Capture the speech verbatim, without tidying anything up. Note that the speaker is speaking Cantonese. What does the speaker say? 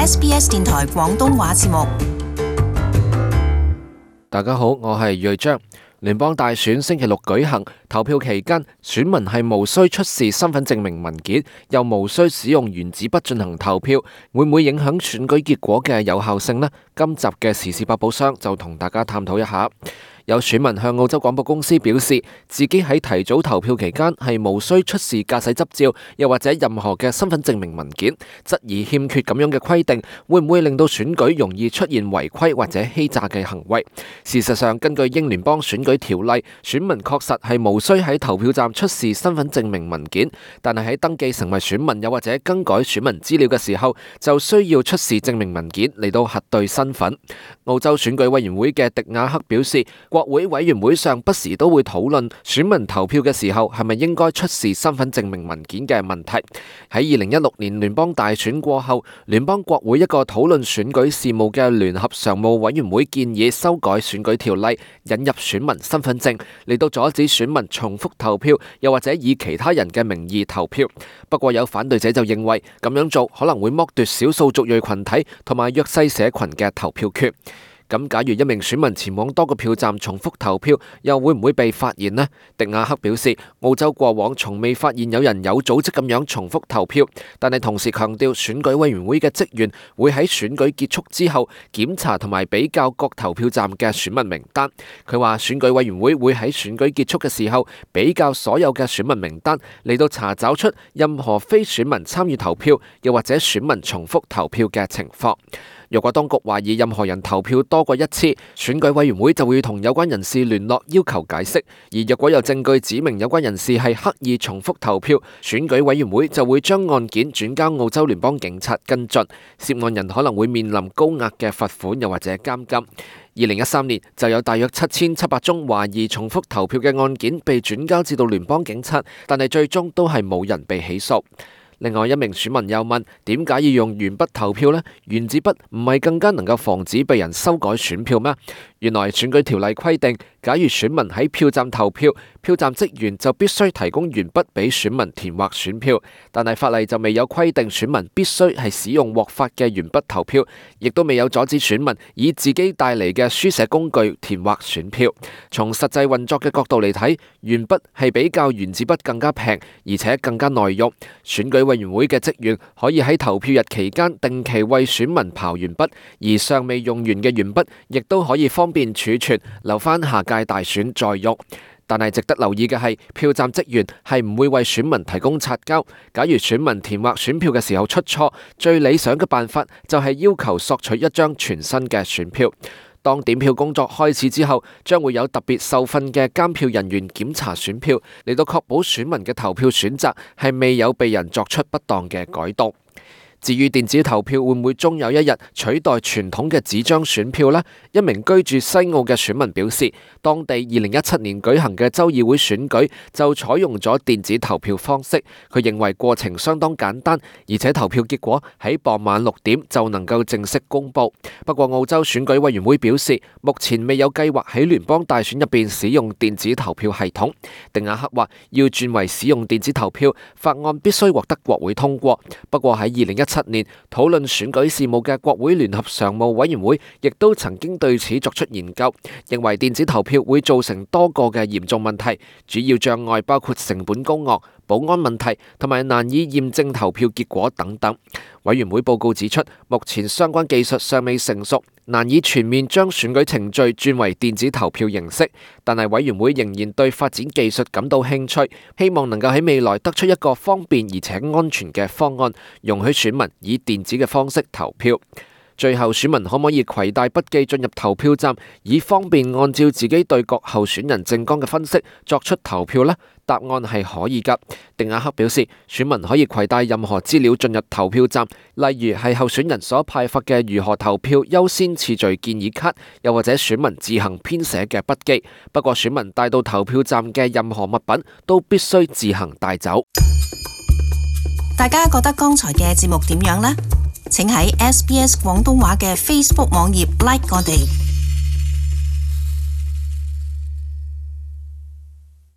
S B S 電台廣東話節目。大家好，我係睿章。聯邦大選星期六舉行，投票期間，選民係無需出示身份證明文件，又無需使用原子筆進行投票，會唔會影響選舉結果嘅有效性呢？今集嘅時事百寶箱就同大家探討一下。有選民向澳洲廣播公司表示，自己喺提早投票期間係無需出示駕駛執照，又或者任何嘅身份證明文件，質疑欠缺咁樣嘅規定，會唔會令到選舉容易出現違規或者欺詐嘅行為？事實上，根據英聯邦選舉條例，選民確實係無需喺投票站出示身份證明文件，但係喺登記成為選民又或者更改選民資料嘅時候，就需要出示證明文件嚟到核對身份。澳洲選舉委員會嘅迪亞克表示，國會委員會上不時都會討論選民投票嘅時候係咪應該出示身份證明文件嘅問題。喺二零一六年聯邦大選過後，聯邦國會一個討論選舉事務嘅聯合常務委員會建議修改選舉條例，引入選民身份證嚟到阻止選民重複投票，又或者以其他人嘅名義投票。不過有反對者就認為咁樣做可能會剝奪少數族裔群體同埋弱勢社群嘅投票權。咁假如一名選民前往多個票站重複投票，又會唔會被發現呢？迪亞克表示，澳洲過往從未發現有人有組織咁樣重複投票，但係同時強調選舉委員會嘅職員會喺選舉結束之後檢查同埋比較各投票站嘅選民名單。佢話選舉委員會會喺選舉結束嘅時候比較所有嘅選民名單，嚟到查找出任何非選民參與投票，又或者選民重複投票嘅情況。若果當局懷疑任何人投票多過一次，選舉委員會就會同有關人士聯絡要求解釋。而若果有證據指明有關人士係刻意重複投票，選舉委員會就會將案件轉交澳洲聯邦警察跟進。涉案人可能會面臨高額嘅罰款又或者監禁。二零一三年就有大約七千七百宗懷疑重複投票嘅案件被轉交至到聯邦警察，但係最終都係冇人被起訴。另外一名選民又問，點解要用鉛筆投票呢？原子筆唔係更加能夠防止被人修改選票咩？原來選舉條例規定，假如選民喺票站投票，票站職員就必須提供鉛筆俾選民填劃選票，但係法例就未有規定選民必須係使用獲發嘅鉛筆投票，亦都未有阻止選民以自己帶嚟嘅書寫工具填劃選票。從實際運作嘅角度嚟睇，鉛筆係比較原子筆更加平，而且更加耐用。選舉委員會嘅職員可以喺投票日期間定期為選民刨鉛筆，而尚未用完嘅鉛筆亦都可以方便儲存，留返下屆大選再用。但係值得留意嘅係，票站職員係唔會為選民提供擦膠。假如選民填劃選票嘅時候出錯，最理想嘅辦法就係要求索取一張全新嘅選票。當點票工作開始之後，將會有特別受訓嘅監票人員檢查選票，嚟到確保選民嘅投票選擇係未有被人作出不當嘅改動。至於電子投票會唔會終有一日取代傳統嘅紙張選票呢？一名居住西澳嘅選民表示，當地二零一七年舉行嘅州議會選舉就採用咗電子投票方式。佢認為過程相當簡單，而且投票結果喺傍晚六點就能夠正式公佈。不過澳洲選舉委員會表示，目前未有計劃喺聯邦大選入邊使用電子投票系統。迪亞克話，要轉為使用電子投票，法案必須獲得國會通過。不過喺二零一七年討論選舉事務嘅國會聯合常務委員會亦都曾經對此作出研究，認為電子投票會造成多個嘅嚴重問題，主要障礙包括成本高昂、保安問題同埋難以驗證投票結果等等。委員會報告指出，目前相關技術尚未成熟，難以全面將選舉程序轉為電子投票形式，但係委員會仍然對發展技術感到興趣，希望能夠喺未來得出一個方便而且安全嘅方案，容許選民以電子嘅方式投票。最後，選民可唔可以攜帶筆記進入投票站，以方便按照自己對各候選人政綱嘅分析作出投票呢？答案係可以㗎。迪亞克表示，選民可以攜帶任何資料進入投票站，例如係候選人所派發嘅如何投票優先次序建議卡，又或者選民自行編寫嘅筆記。不過，選民帶到投票站嘅任何物品都必須自行帶走。大家覺得剛才嘅節目點樣呢？請喺 S B S 廣東話嘅 Facebook 網頁 like 我哋。